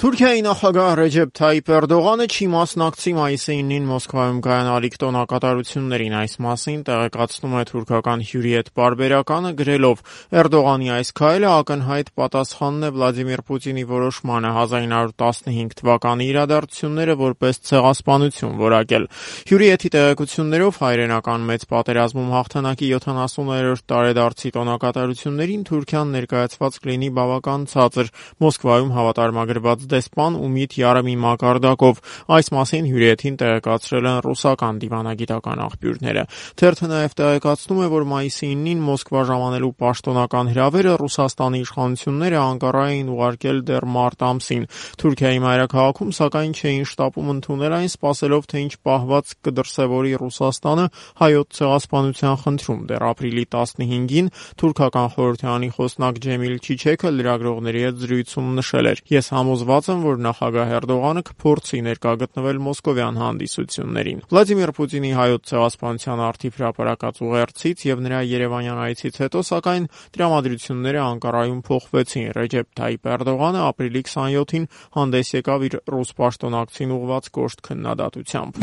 Թուրքիայի նախագահ Ռեջեփ Թայիփ Էրդողանը չի մասնակցի մայիսի 9-ին Մոսկվայում կայանալիք տոնակատարություններին, այս մասին տեղեկացնում է թուրքական Hürriyet պարբերականը գրելով. Էրդողանի այս քայլը ակնհայտ պատասխանն է Վլադիմիր Պուտինի որոշմանը 1915 թվականի իրադարձությունները որպես ցեղասպանություն որակել։ Hürriyet-ի տեղեկություններով հայրենական մեծ պատերազմում հաղթանակի 70-րդ տարեդարձի տոնակատարություններին Թուրքիան ներկայացված կլինի բավական ցածր, Մոսկվայում հավատարմագրված դեսպան Ումիդ Յարեմի մակարդակով, այս մասին Hürriyet-ին տեղեկացրել են ռուսական դիվանագիտական աղբյուրները։ Թերթը նաև տեղեկացնում է, որ մայիսի 9-ին Մոսկվա ժամանելու պաշտոնական հրավերը Ռուսաստանի իշխանությունները Անկարա էին ուղարկել դեռ մարտ ամսին։ Թուրքիայի մայրաքաղաքում սակայն չէին շտապում ընդունել այն, սպասելով, թե ինչ պահված կդրսևորի Ռուսաստանը հայոց ցեղասպանության խնդրում։ Դեռ ապրիլի 15-ին թուրքական խորհրդարանի խոսնակ Ջեմիլ Չիչեքը լրագրողների հետ զրույցում նշել էր. «Ես համոզված եմ, որ նախագահ Էրդողանը կփորձի ներկա գտնվել մոսկովյան հանդիսություններին»։ Վլադիմիր Պուտինի հայոց ցեղասպանության առթիվ հրապարակած ուղերձից եւ նրա Երևանյան այցից հետո սակայն տրամադրությունները Անկարայում փոխվեցին։ Ռեջեփ Թայիփ Էրդողանը ապրիլի 27-ին հանդես եկավ իր ռուս պաշտոնակցին ուղղված կոշտ քննադատությամբ։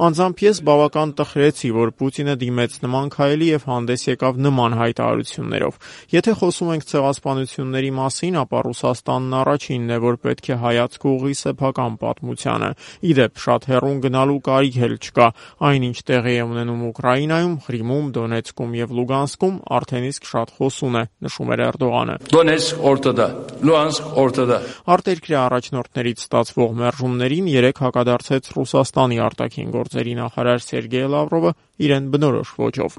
Անձամբ ես բավական տխրեցի, որ Պուտինը դիմեց նման քայլի եւ հանդես եկավ նման հայտարարություններով։ Եթե խոսում ենք ցեղասպանությունների մասին, ապա Ռուսաստանն առաջինն է, որ պետք է հայացք ուղղի սեփական պատմությանը։ Իդեպ, շատ հեռուն գնալու կարիք էլ չկա։ Այնինչ տեղի է ունենում Ուկրաինայում, Ղրիմում, Դոնեցկում եւ Լուգանսկում արդեն իսկ շատ խոսուն է, նշում էր Էրդողանը։ Արտերկրյա առաջնորդներից ստացվող մերժումներին երեք հակադարձեց Ռուսաստանի արտաքին գործերի նախարար Սերգեյ Լավրովը իրեն բնորոշ ոճով։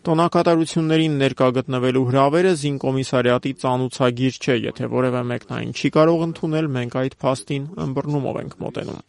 Տոնակատարություններին ներկա գտնվելու հրավերը զինկոմիսարիատի ծանուցագիր չէ, եթե որևէ մեկն այն չի կարող ընդունել, մենք այդ փաստին ըմբռնումով ենք մոտենում։